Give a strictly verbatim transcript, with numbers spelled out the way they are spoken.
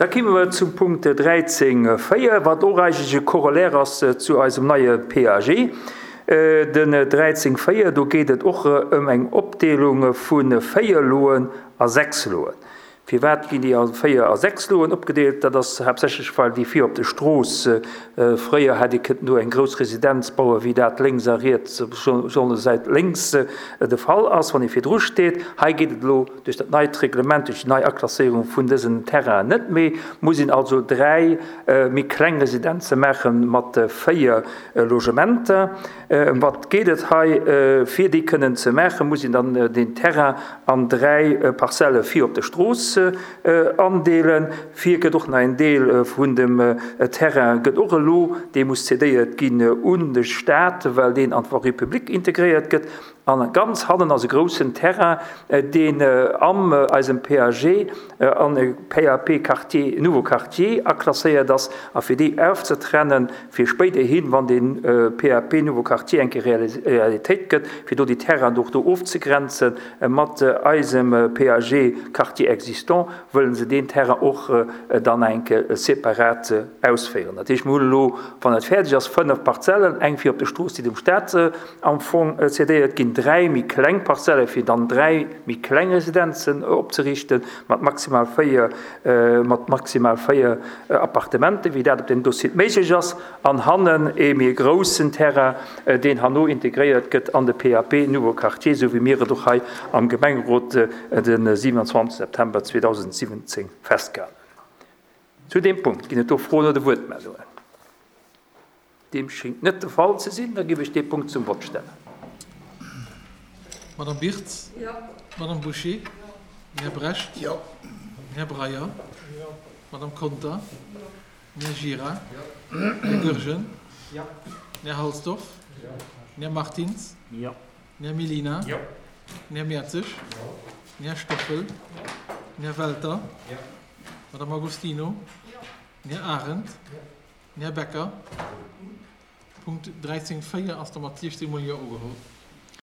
Da komme mer zum Punkt dräizéng véier, wat och eigentlech e Corollaire ass zu eisem neie P A G. Den dräizéng véier, do geet et och ëm eng Opdeelung vu véier Loen a sechs Loen. Firwat ginn déi a véier a sechs Loen opgedeelt? Dat ass haaptsächlech, well déi vir op der Strooss, fréier hätt ee kënnen do eng grouss Residenz bauen, wéi dat lénks a riets, besonnesch säit lénks de Fall ass, wann ee virdru steet. Hei geet et elo duerch dat neit Reglement, duerch déi nei Aklasséierung vun dësen Terrainen net méi. Muss een also dräi méi kleng Residenze maache mat véier Logementer. Ëm wat geet et hei? Fir déi kënnen ze maachen, muss een dann den Terrain an dräi Parzelle vir op der Strooss andeelen. Vir gëtt och nach en Deel vun dem Terrain gëtt och elo, dee muss cédéiert ginn un de Staat, well deen an d'Voirie publique integréiert gëtt. An ganz hannen ass e groussen Terrain, deen am eisem P A G an e P A P Quartier, Nouveau Quartier aklasséiert ass, a fir déi aufzetrennen, fir spéiderhin, wann den P A P Nouveau Quartier eng Realitéit gëtt, fir do die Terrain och do ofzegrenzen mat eisem P A G Quartier existant, wëllen se den Terrain och dann eng separat ausféieren. Dat heescht, mir hunn elo, wann et fäerdeg ass, fënnef Parzellen, eng fir op der Strooss, déi dem Staat am Fong cédéiert ginn, dräi méi kleng Parzelle fir dann dräi méi kleng Residenzen opzerichten, mat maximal véier, mat maximal véier Appartementen, wéi dat op dem Dossier méiglech ass, an hannen e méi groussen Terrain, deen hanno integréiert gëtt an de P A P Nouveau Quartier, sou wéi mir et och hei am Gemengerot den siebenundzwanzigsten September zweitausendsiebzehn festgehalten. Zu dem Punkt ginn et do Froen oder Wuertmeldungen. Dem schéngt net de Fall ze sinn, da gebe ich den Punkt zum Wort stellen. Madame Birtz? Ja. Madame Boucher? Ja. Herr Brecht? Ja. Herr Breyer? Ja. Madame Conter? Ja. Herr Gira? Ja. Herr Goergen? Ja. Herr Halsdorf? Ja. Herr Martins? Ja. Herr Melina? Ja. Herr Mertzig? Ja. Herr Stoffel? Ja. Herr Welter? Ja. Madame Agostino? Ja. Herr Arendt? Ja. Herr Becker? Punkt dreizehn vier ass der Matthias Simon ja ugeholt.